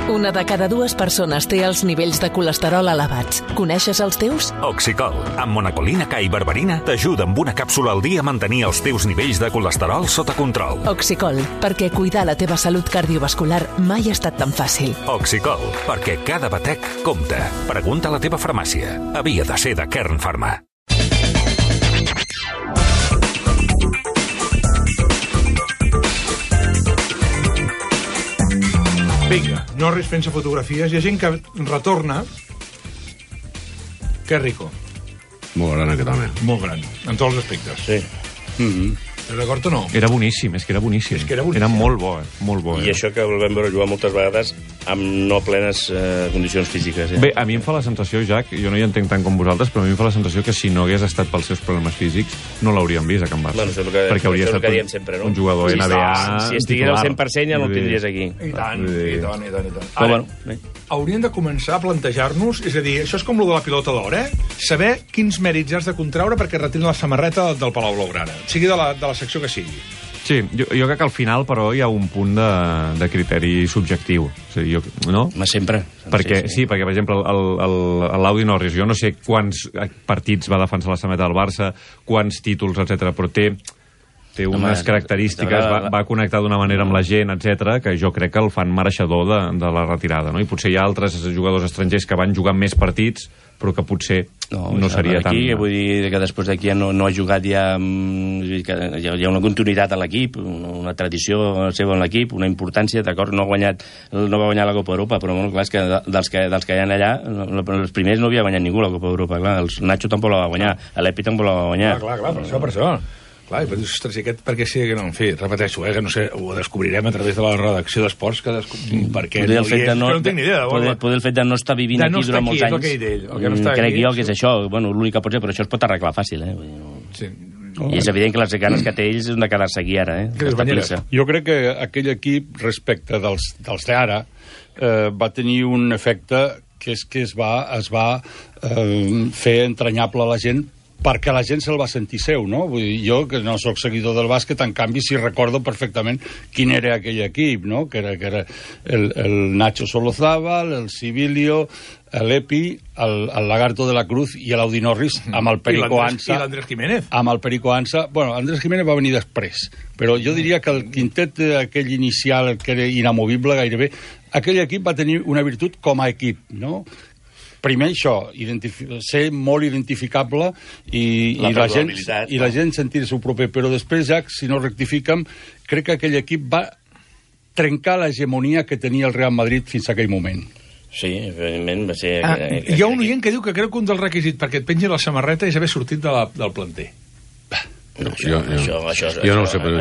Una de cada dues persones té els nivells de colesterol elevats. Coneixes els teus? Oxicol, amb monacolina K i berberina, t'ajuda amb una càpsula al dia a mantenir els teus nivells de colesterol sota control. Oxicol, perquè cuidar la teva salut cardiovascular mai ha estat tan fàcil. Oxicol, perquè cada batec compta. Pregunta a la teva farmàcia. Havia de ser de Kern Pharma. Vinga, Norris fent-se fotografies. Hi ha gent que retorna. Que rico. Molt gran aquest home. Molt gran, en tots els aspectes. Sí. Estàs d'acord o no? Era boníssim, és que era boníssim. Era molt bo, molt bo. I això que el vam veure jugar moltes vegades amb no plenes condicions físiques. Bé, a mi em fa la sensació, Jack, jo no hi entenc tant com vosaltres, però a mi em fa la sensació que si no hagués estat pels seus problemes físics, no l'hauríem vist a Can Barça. Bueno, perquè hauria estat sempre, no? Un jugador NBA si estigués al 100% ja no el tindries aquí. I tant. Ara, hauríem de començar a plantejar-nos, és a dir, això és com el de la pilota d'or, saber quins mèrits has de contraure perquè retirin la samarreta del Palau Blaugrana, sigui de la secció que sigui. Sí, jo crec que al final, però, hi ha un punt de criteri subjectiu. O sigui, no? Sempre. Perquè, sí, perquè, per exemple, l'Audi Norris, jo no sé quants partits va defensar la samarreta del Barça, quants títols, etc, però té unes característiques, va connectar d'una manera amb la gent, etc, que jo crec que el fan mereixedor de la retirada, no? I potser hi ha altres jugadors estrangers que van jugar més partits, però que potser no seria tan... Vull dir que després d'aquí no ha jugat ja... Hi ha una continuïtat a l'equip, una tradició seva en l'equip, una importància, d'acord, no va guanyar la Copa Europa, però bueno, clar, és que dels que hi ha allà, els primers no havia guanyat ningú la Copa Europa, clar, el Nacho tampoc la va guanyar, l'Epi tampoc la va guanyar. Clar, per això. Clar, i dius, ostres, i aquest per què sí que no? En fi, repeteixo, que no sé, ho descobrirem a través de la redacció d'esports, per què no hi és, no tinc ni idea. Poder el fet de no estar vivint aquí durant molts anys, crec jo que és això, l'únic que pot ser, però això es pot arreglar fàcil, Sí. I és evident que les ganes que té ells han de quedar-se aquí ara, Jo crec que aquell equip, respecte dels d'ara, va tenir un efecte que és que es va fer entranyable a la gent perquè la gent se'l va sentir seu, no? Vull dir, jo, que no sóc seguidor del bàsquet, en canvi, sí recordo perfectament quin era aquell equip, no? Que era el Nacho Solozábal, el Sibilio, l'Epi, el Lagarto de la Cruz i l'Audi Norris amb el Perico Ansa. I l'Andrés Jiménez. Amb el Perico Ansa. Bueno, Andrés Jiménez va venir després, però jo diria que el quintet aquell inicial, que era inamovible gairebé, aquell equip va tenir una virtut com a equip, no? Primer això, ser molt identificable i la gent sentir-se proper, però després, Jack, si no rectifiquem, crec que aquell equip va trencar l'hegemonia que tenia el Real Madrid fins a aquell moment. Sí, evidentment va ser... Hi ha un oient que diu que creu que un dels requisits perquè et pengi la samarreta és haver sortit del planter. Jo no ho sé, però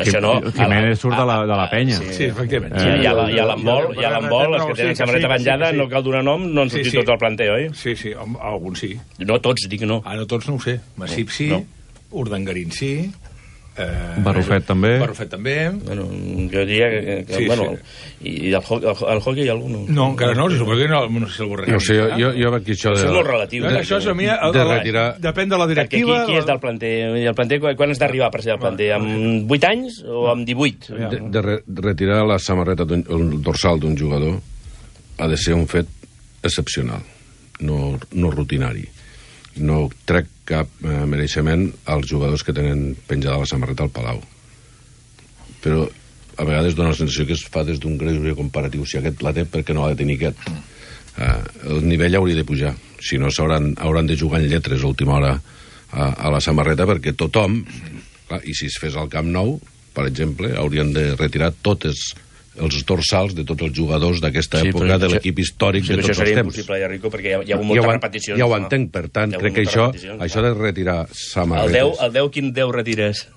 Jiménez surt de la penya. Sí, efectivament. Hi ha l'handbol, els que tenen samarreta penjada, no cal donar nom, no han sortit tots al planter, oi? Sí, alguns sí. No tots, dic no. No tots no ho sé. Massip sí, Urdangarín sí... Barrufet també. Bueno, jo diria que i el hockey hi ha algun? No, encara no, si suposo que no sé si el Borrell. No sé, jo aquí això és molt relatiu. Això és a mi, depèn de la directiva. Qui és del planter? El planter, quan has d'arribar per ser del planter? Amb 8 anys o amb 18? De retirar la samarreta, el dorsal d'un jugador ha de ser un fet excepcional, no rutinari. No trec cap mereixement als jugadors que tenen penjada la samarreta al Palau. Però a vegades dona la sensació que es fa des d'un greuge comparatiu. Si aquest la té, per què no ha de tenir aquest? El nivell hauria de pujar. Si no, hauran de jugar en lletres a última hora a la samarreta, perquè tothom, clar, i si es fes al Camp Nou, per exemple, haurien de retirar tots els dorsals de tots els jugadors d'aquesta època de l'equip històric de tots els temps. Això seria impossible, Rico, perquè hi ha moltes repeticions. Ja ho entenc, per tant, crec que això de retirar samarretes... El 10, quin 10 retires?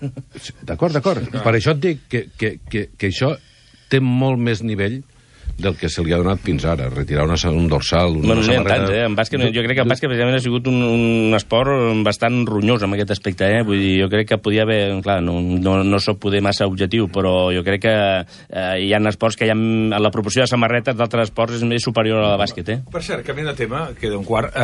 D'acord. Per això et dic que això té molt més nivell del que se li ha donat fins ara, retirar un dorsal, una samarreta... En bàsquet, jo crec que el bàsquet precisament ha sigut un esport bastant ronyós en aquest aspecte, Vull dir, jo crec que podia haver... Clar, no soc poder massa objectiu, però jo crec que hi ha esports que la proporció de samarretes d'altres esports és més superior a la bàsquet, Per cert, canviant de tema, queda un quart,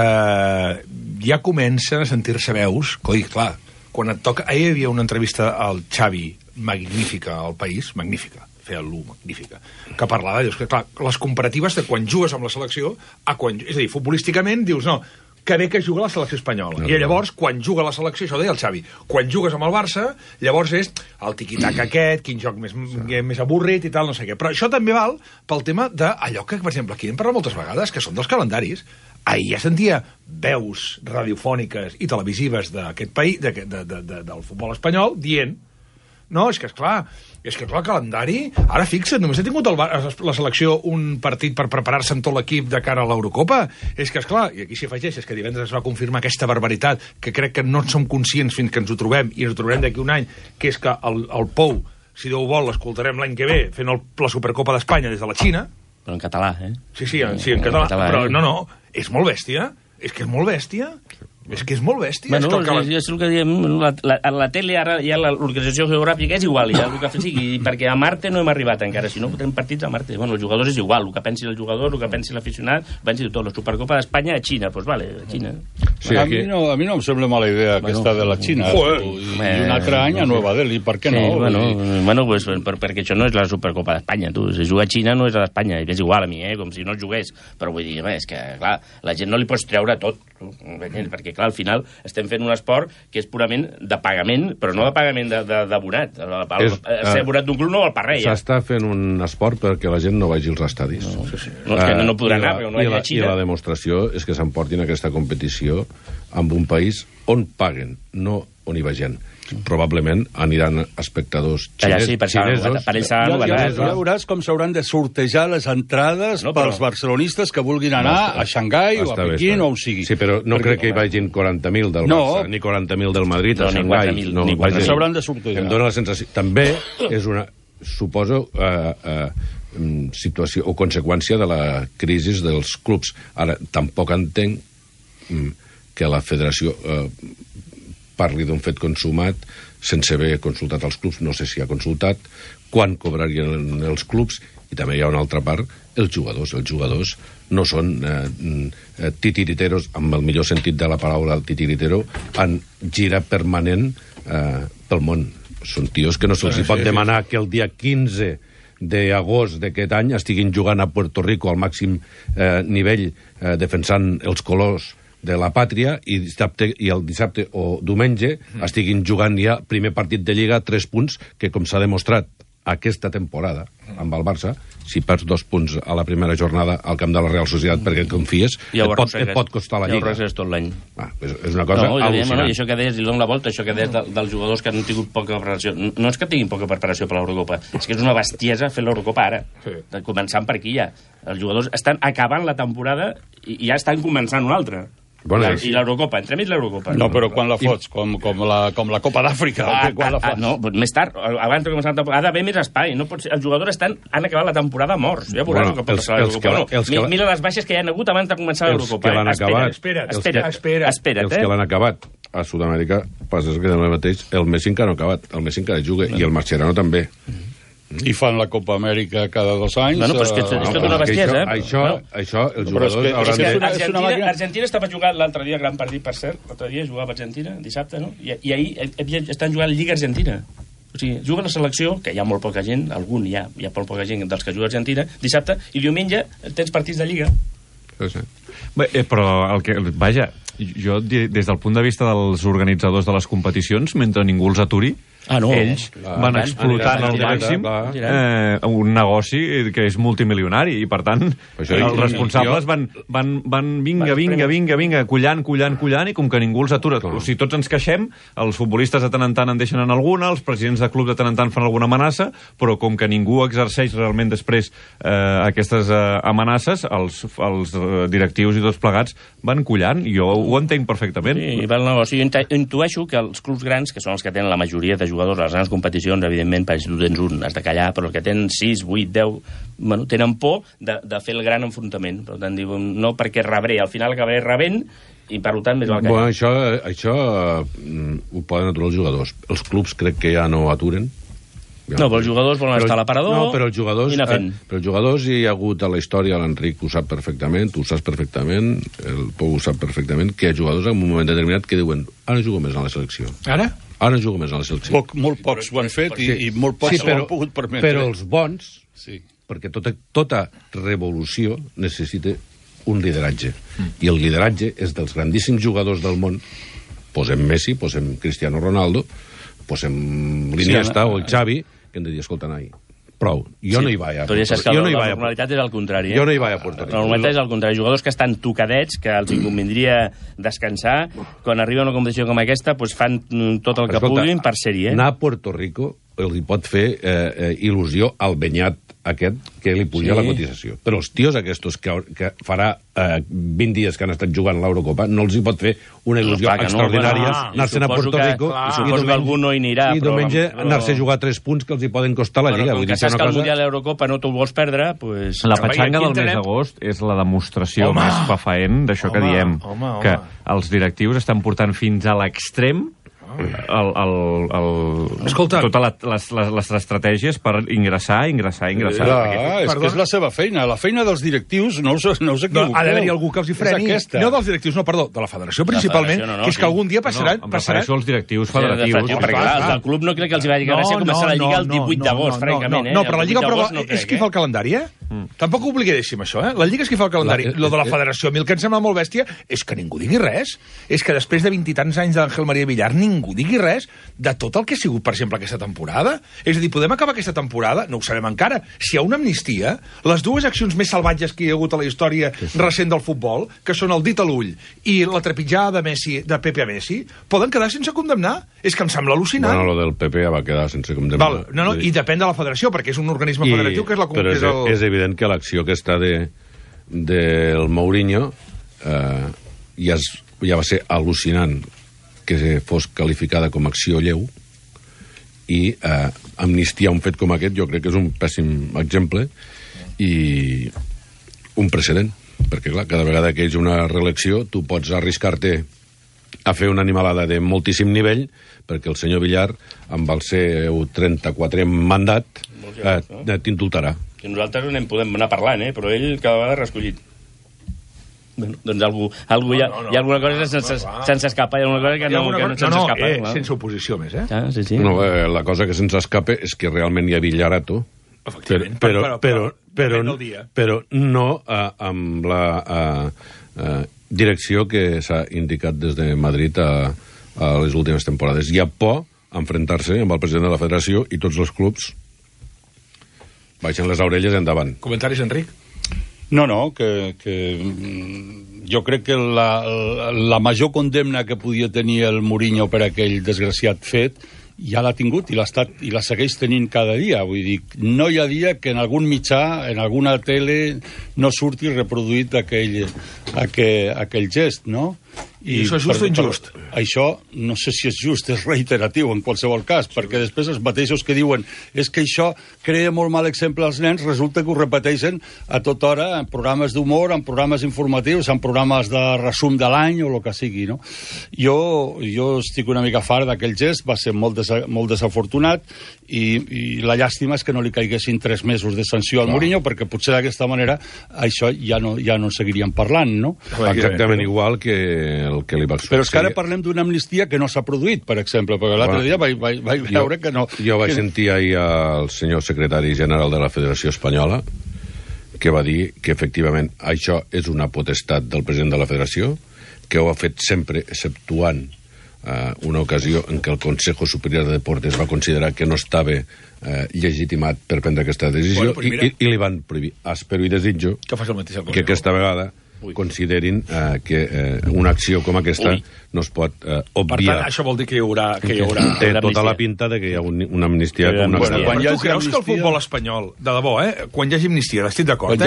ja comencen a sentir-se veus, clar, quan et toca... Ahir hi havia una entrevista al Xavi, magnífica, al País, magnífica, feia l'1 magnífica, que parlava, dius que clar, les comparatives de quan jugues amb la selecció a quan... És a dir, futbolísticament dius, no, que bé que juga la selecció espanyola. I llavors, quan juga la selecció, això deia el Xavi, quan jugues amb el Barça, llavors és el tiqui-tac aquest, quin joc més avorrit i tal, no sé què. Però això també val pel tema d'allò que, per exemple, aquí hem parlat moltes vegades, que són dels calendaris. Ahir ja sentia veus radiofòniques i televisives d'aquest país, del futbol espanyol, dient, no, és que el calendari... Ara fixa't, només ha tingut la selecció un partit per preparar-se amb tot l'equip de cara a l'Eurocopa. És que, esclar, i aquí s'hi afegeix, és que divendres es va confirmar aquesta barbaritat que crec que no en som conscients fins que ens ho trobem, i ens ho trobarem d'aquí un any, que és que el Pou, si Déu vol, l'escoltarem l'any que ve fent la Supercopa d'Espanya des de la Xina. Però en català, eh? Sí, en català. Però no, és molt bèstia. És que és molt bèstia. És que és molt bèstia. Bueno, és el que diem, la tele ara, ja l'organització geogràfica és igual, ja el que sigui, perquè a Marte no hem arribat encara, si no fotem partits a Marte. Bueno, els jugadors és igual, el que pensi el jugador, el que pensi l'aficionat, pensi tot. La Supercopa d'Espanya a Xina, doncs vale, a Xina. Sí, a mi no em sembla mala idea aquesta de la Xina. I un altre any a Nova Delhi, per què no? Bueno, pues, perquè això no és la Supercopa d'Espanya, tu. Si juga a Xina no és a d'Espanya, és igual a mi, com si no jugués. Però vull dir, és que, clar, la gent no li pots treure tot, perquè clar, al final estem fent un esport que és purament de pagament, però no de pagament d'abonat. Ser abonat d'un club no vol per res. S'està fent un esport perquè la gent no vagi als estadis. No, és que no podrà anar, perquè no hi ha Xina. I la demostració és que s'emportin aquesta competició amb un país on paguen, no on hi va gent. Probablement aniran espectadors xinesos. Ja veuràs com s'hauran de sortejar les entrades pels barcelonistes que vulguin anar a Xangai o a Pequín o on sigui. Sí, però no crec que hi vagin 40.000 del Barça, ni 40.000 del Madrid a Xangai. S'hauran de sortejar. Em dóna la sensació... També és una, suposo, situació o conseqüència de la crisi dels clubs. Ara, tampoc entenc que la federació parli d'un fet consumat sense haver consultat els clubs. No sé si ha consultat, quan cobrarien els clubs, i també hi ha una altra part, els jugadors. Els jugadors no són titiriteros, amb el millor sentit de la paraula titiritero, en gira permanent pel món. Són tios que no se'ls pot demanar que el dia 15 d'agost d'aquest any estiguin jugant a Puerto Rico al màxim nivell, defensant els colors de la pàtria, i el dissabte o diumenge estiguin jugant ja primer partit de Lliga 3 punts, que com s'ha demostrat aquesta temporada amb el Barça, si perds 2 punts a la primera jornada al camp de la Real Societat perquè confies, et pot costar la Lliga. Ja ho arrossegues tot l'any. És una cosa al·lucinant. I això que deies, li dono la volta, això que deies dels jugadors que han tingut poca preparació. No és que tinguin poca preparació per l'Eurocopa, és que és una bestiesa fer l'Eurocopa ara. Començant per aquí ja. Els jugadors estan acabant la temporada i ja estan començant una altra. I l'Eurocopa, entremig l'Eurocopa. No, però quan la fots? Com la Copa d'Àfrica? No, més tard, abans de començar la temporada, ha d'haver més espai. No pot ser. Els jugadors han acabat la temporada morts. Ja veuràs el que pot passar a l'Eurocopa. Mira les baixes que hi ha hagut abans de començar l'Eurocopa. Els que l'han acabat a Sud-amèrica, passa que demà mateix el Messi encara no ha acabat. El Messi encara juga, i el Mascherano també. I fan la Copa Amèrica cada 2 anys. Bueno, però és que és tota una bestiesa, Això, els jugadors hauran de... Argentina estava jugant l'altre dia, gran partit, per cert, l'altre dia jugava Argentina, dissabte, no? I ahir estan jugant Lliga Argentina. O sigui, juga la selecció, que hi ha molt poca gent, algun hi ha molt poca gent dels que juga a Argentina, dissabte, i diumenge tens partits de Lliga. Bé, però vaja, jo des del punt de vista dels organitzadors de les competicions, mentre ningú els aturi, ells van explotant al màxim un negoci que és multimilionari, i per tant els responsables van vinga, collant, i com que ningú els atura, o sigui, tots ens queixem, els futbolistes de tant en tant en deixen en alguna, els presidents de club de tant en tant fan alguna amenaça, però com que ningú exerceix realment després aquestes amenaces, els directius i tots plegats van collant, i jo ho entenc perfectament. Sí, va el negoci. Intueixo que els clubs grans, que són els que tenen la majoria de jugadors a les grans competicions, evidentment, si tu tens un, has de callar, però els que tenen 6, 8, 10, tenen por de fer el gran enfrontament. Per tant, diuen, no perquè rebré, al final acabaré rebent, i per tant més val callar. Bueno, això ho poden aturar els jugadors. Els clubs crec que ja no aturen. No, però els jugadors volen estar a l'aparador. No, però els jugadors hi ha hagut a la història, l'Enric ho sap perfectament, tu ho saps perfectament, el Pou ho sap perfectament, que hi ha jugadors en un moment determinat que diuen, ara jugo més a la selecció. Ara? Ara jugo més a la selecció. Molt pocs ho han fet i molt pocs ho han pogut permetre. Però els bons, perquè tota revolució necessita un lideratge. I el lideratge és dels grandíssims jugadors del món. Posem Messi, posem Cristiano Ronaldo, posem l'Iniesta o el Xavi, que hem de dir, escolta, noi, prou. Jo no hi vaig a... Però ja saps que la normalitat és el contrari. Jo no hi vaig a Puerto Rico. La normalitat és el contrari. Jugadors que estan tocadets, que els convindria descansar, quan arriba una competició com aquesta, doncs fan tot el que puguin per ser-hi. Anar a Puerto Rico li pot fer il·lusió al benyat aquest que li puja la cotització. Però els tios aquests que farà 20 dies que han estat jugant l'Eurocopa no els hi pot fer una il·lusió extraordinària anar-se'n a Puerto Rico i suposo que algú no hi anirà. I diumenge anar-se a jugar 3 punts que els hi poden costar la Lliga. Com que saps que el Mundial i l'Eurocopa no t'ho vols perdre, doncs... La petxanga del mes d'agost és la demostració més fafaent d'això que diem, que els directius estan portant fins a l'extrem totes les estratègies per ingressar. És que és la seva feina. La feina dels directius, no us equivoqueu. Ha d'haver-hi algú que els hi freni. No dels directius, no, perdó, de la federació principalment, que és que algun dia passarà... Em refereixo als directius federatius. Perquè el del club no crec que els hi vagi gràcia començar la Lliga el 18 d'agost, francament. No, però la Lliga és qui fa el calendari, Tampoc oblidéssim això, La Lliga és qui fa el calendari. Lo de la federació, a mi el que em sembla molt bèstia és que ningú digui res. És que després de 20 i tants anys d'Àngel María Villar ningú digui res de tot el que ha sigut, per exemple, aquesta temporada. És a dir, podem acabar aquesta temporada, no ho sabem encara, si hi ha una amnistia, les dues accions més salvatges que hi ha hagut a la història recent del futbol, que són el dit a l'ull i la trepitjada de Pepe a Messi, poden quedar sense condemnar. És que em sembla al·lucinant. Bueno, lo del Pepe ja va quedar sense condemnar. I depèn de la federació, perquè és un organisme federatiu que és la... Però és evident que l'acció aquesta del Mourinho ja va ser al·lucinant que fos qualificada com a acció lleu i amnistiar un fet com aquest jo crec que és un pèssim exemple i un precedent, perquè clar, cada vegada que hi ha una reelecció tu pots arriscar-te a fer una animalada de moltíssim nivell perquè el senyor Villar amb el seu 34è mandat t'indultarà. Que nosaltres no en podem anar parlant, però ell cada vegada ha reescollit. Bueno, doncs hi ha alguna cosa que se'ns escapa, hi ha alguna cosa que no se'ns escapa. Sense oposició més, Sí. No, la cosa que se'ns escapa és que realment hi ha Villarato, però no amb la direcció que s'ha indicat des de Madrid a les últimes temporades. Hi ha por a enfrontar-se amb el president de la federació i tots els clubs baixen les orelles endavant. Comentaris, Enric? No, que jo crec que la major condemna que podia tenir el Mourinho per aquell desgraciat fet ja l'ha tingut i la segueix tenint cada dia. Vull dir, no hi ha dia que en algun mitjà, en alguna tele, no surti reproduït aquell gest, no? I això és just o injust? Això no sé si és just, és reiteratiu en qualsevol cas, perquè després els mateixos que diuen és que això crea molt mal exemple als nens, resulta que ho repeteixen a tota hora en programes d'humor, en programes informatius, en programes de resum de l'any o el que sigui, no? Jo estic una mica fart d'aquell gest, va ser molt desafortunat i la llàstima és que no li caiguessin 3 mesos de sanció al Mourinho, perquè potser d'aquesta manera això ja no seguiríem parlant, no? Exactament igual que el que li va succeir. Però és que ara parlem d'una amnistia que no s'ha produït, per exemple, perquè l'altre dia vaig veure que no... Jo vaig sentir ahir al senyor secretari general de la Federació Espanyola que va dir que efectivament això és una potestat del president de la Federació, que ho ha fet sempre exceptuant una ocasió en què el Consejo Superior de Deportes va considerar que no estava legitimat per prendre aquesta decisió i li van prohibir. Espero i desitjo que aquesta vegada considerin que una acció com aquesta no es pot obviar. Per tant, això vol dir que hi haurà... Té tota la pinta de que hi ha una amnistia com una amnistia. Però tu creus que el futbol espanyol, de debò, quan hi hagi amnistia, estic d'acord,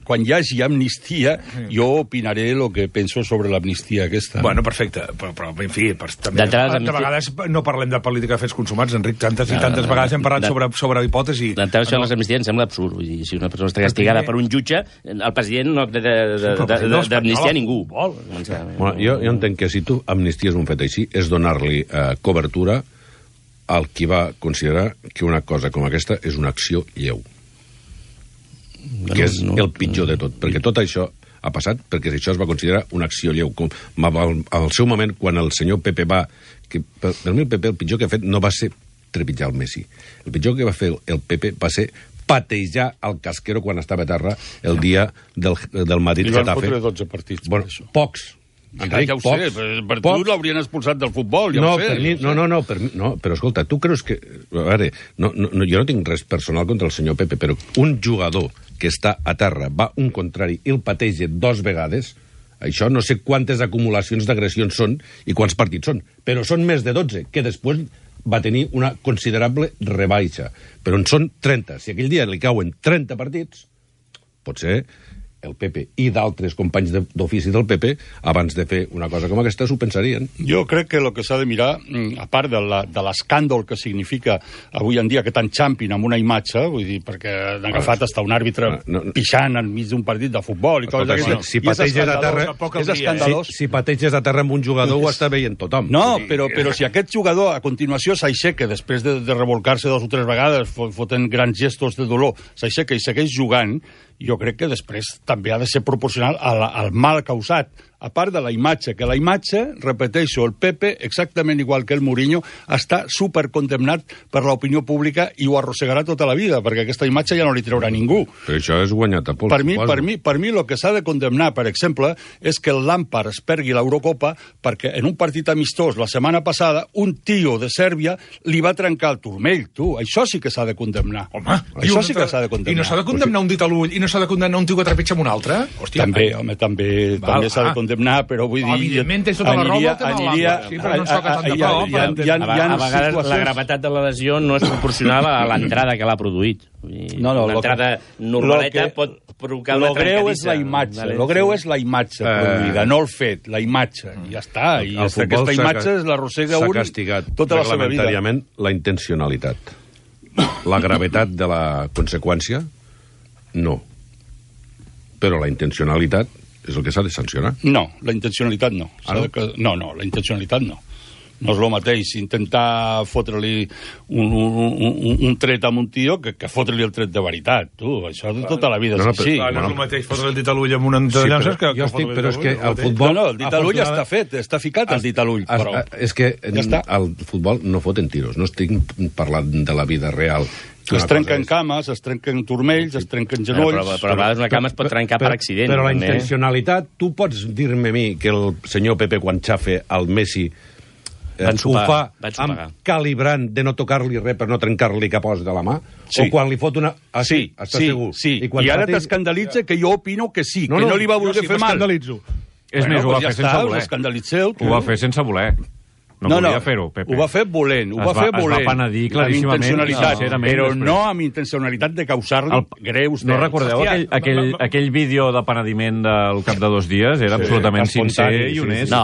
Quan hi hagi amnistia, jo opinaré el que penso sobre l'amnistia aquesta. Bueno, perfecte, però en fi, també de vegades no parlem de política de fets consumats, Enric, tantes i tantes vegades hem parlat sobre hipòtesi. D'entrada, això de les amnisties em sembla absurd. Si una persona està castigada per un jutge, el president no d'amnistiar ningú. Bueno, jo entenc que si tu amnisties un fet així és donar-li cobertura al qui va considerar que una cosa com aquesta és una acció lleu, que és el pitjor de tot, perquè tot això ha passat, perquè això es va considerar una acció lleu. Al seu moment, quan el senyor Pepe va... Per mi el Pepe el pitjor que ha fet no va ser trepitjar el Messi. El pitjor que va fer el Pepe va ser patejar el Casquero quan estava a terra el dia del Madrid-Getafe. Li van fotre 12 partits. Bueno, pocs. Enric, ja ho sé, per tu l'haurien expulsat del futbol, ja ho sé. No, però escolta, tu creus que... A veure, jo no tinc res personal contra el senyor Pepe, però un jugador que està a terra va un contrari i el pateja 2 vegades, això no sé quantes acumulacions d'agressions són i quants partits són, però són més de 12, que després va tenir una considerable rebaixa. Però en són 30. Si aquell dia li cauen 30 partits, potser el Pepe i d'altres companys d'ofici del Pepe, abans de fer una cosa com aquesta, s'ho pensarien. Jo crec que el que s'ha de mirar, a part de l'escàndol que significa avui en dia que t'enxampin amb una imatge, vull dir, perquè han agafat hasta un àrbitre pixant enmig d'un partit de futbol i coses d'aquestes. Si pateges a terra, és escandalós. Si pateges a terra amb un jugador, ho està veient tothom. No, però si aquest jugador a continuació s'aixeca, després de revolcar-se 2 o 3 vegades, fotent grans gestos de dolor, s'aixeca i segueix jugant, jo crec que després també ha de ser proporcional al mal causat, a part de la imatge, que la imatge, repeteixo, el Pepe, exactament igual que el Mourinho, està supercondemnat per l'opinió pública i ho arrossegarà tota la vida, perquè aquesta imatge ja no li treurà ningú. Però això és guanyat a pols. Per mi el que s'ha de condemnar, per exemple, és que el Lampard es pergui l'Eurocopa perquè en un partit amistós la setmana passada un tio de Sèrbia li va trencar el turmell, tu. Això sí que s'ha de condemnar. Home, això sí que s'ha de condemnar. I no s'ha de condemnar un dit a l'ull i no s'ha de condemnar un tio que trepitja amb un altre? Hòstia, també s'ha de condemnar, però vull dir... Evidentment, tens tota la raó, sí, però no xoca tant de prou. A vegades la gravetat de la lesió no és proporcional a l'entrada que l'ha produït. Una entrada normaleta pot provocar una trencadissa. Lo greu és la imatge produïda, no el fet, la imatge. I ja està. I aquesta imatge l'arrossega un tota la seva vida. Reglamentàriament, la intencionalitat. La gravetat de la conseqüència, no. Però la intencionalitat és el que s'ha de sancionar. No, la intencionalitat no. No, la intencionalitat no. No és el mateix intentar fotre-li un tret a un tio que fotre-li el tret de veritat. Tu, això de tota la vida és així. No és el mateix fotre el dit a l'ull amb un entrenador que però és que el futbol... No, el dit a l'ull està fet, està ficat el dit a l'ull. És que el futbol no foten tiros, no estic parlant de la vida real. Es trenquen cames, es trenquen turmells, es trenquen genolls... Però a vegades una cama es pot trencar per accident. Però la intencionalitat... Tu pots dir-me a mi que el senyor Pepe, quan xafa al Messi, ho fa amb calibrant de no tocar-li res per no trencar-li cap os de la mà? O quan li fot una... Sí, i ara t'escandalitza que jo opino que sí, que no li va voler fer mal. És més, ho va fer sense voler. Ho va fer sense voler. No volia fer-ho, Pepe. Ho va fer volent, ho va fer volent. Es va penedir claríssimament. Però no amb intencionalitat de causar-li greus... No recordeu aquell vídeo de penediment del cap de 2 dies? Era absolutament sincer i honest. No,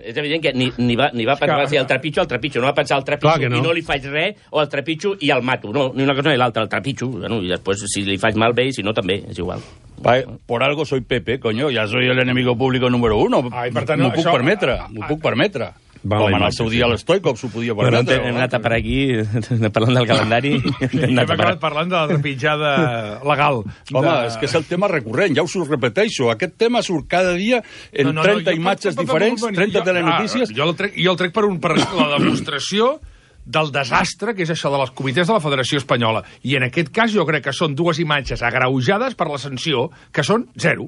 és evident que ni va pensar si el trepitjo, no va pensar el trepitjo i no li faig res, o el trepitjo i el mato. No, ni una cosa ni l'altra, el trepitjo. I després, si li faig mal bé i si no, també, és igual. Por algo soy Pepe, coño, ya soy el enemigo público número 1. M'ho puc permetre. Com en el seu dia l'Stoikov s'ho podia permetre. Hem anat a per aquí, parlant del calendari. Hem acabat parlant de la trepitjada legal. Home, és que és el tema recurrent, ja us ho repeteixo. Aquest tema surt cada dia en 30 imatges diferents, 30 telenotícies... Jo el trec per la demostració del desastre que és això de les comitès de la Federació Espanyola. I en aquest cas jo crec que són 2 imatges agreujades per la sanció, que són 0.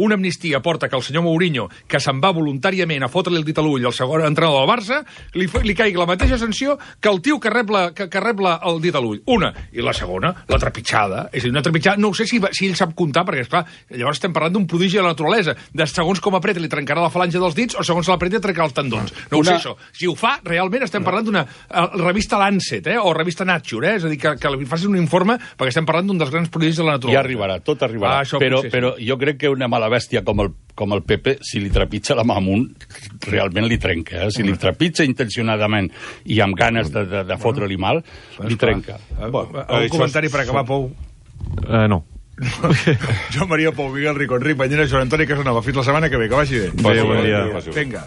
Una amnistia porta que el senyor Mourinho, que se'n va voluntàriament a fotre-li el dit a l'ull al segon entrenador del Barça, li caigui la mateixa sanció que el tio que rep el dit a l'ull. Una. I la segona, la trepitjada. És a dir, una trepitjada, no ho sé si ell sap comptar, perquè, esclar, llavors estem parlant d'un prodigi de la naturalesa. De segons com apreta li trencarà la falange dels dits o segons l'apreta li trencarà els tendons. No ho sé, això. Si ho fa, realment estem parlant d'una revista Lancet, o revista Nature, és a dir, que li facin un informe, perquè estem parlant d'un dels grans prodigis de la naturalesa. Ja arribarà, tot arribarà. Però jo crec que una mala bèstia com el Pepe, si li trepitja la mà amunt, realment li trenca. Si li trepitja intencionadament i amb ganes de fotre-li mal, li trenca. Un comentari per acabar, Pou? No. Jo, Maria Pou, Miguel Rico, Enric Banyera, Joan Antoni Casanova. Fins la setmana que ve, que vagi bé. Bon dia. Vinga.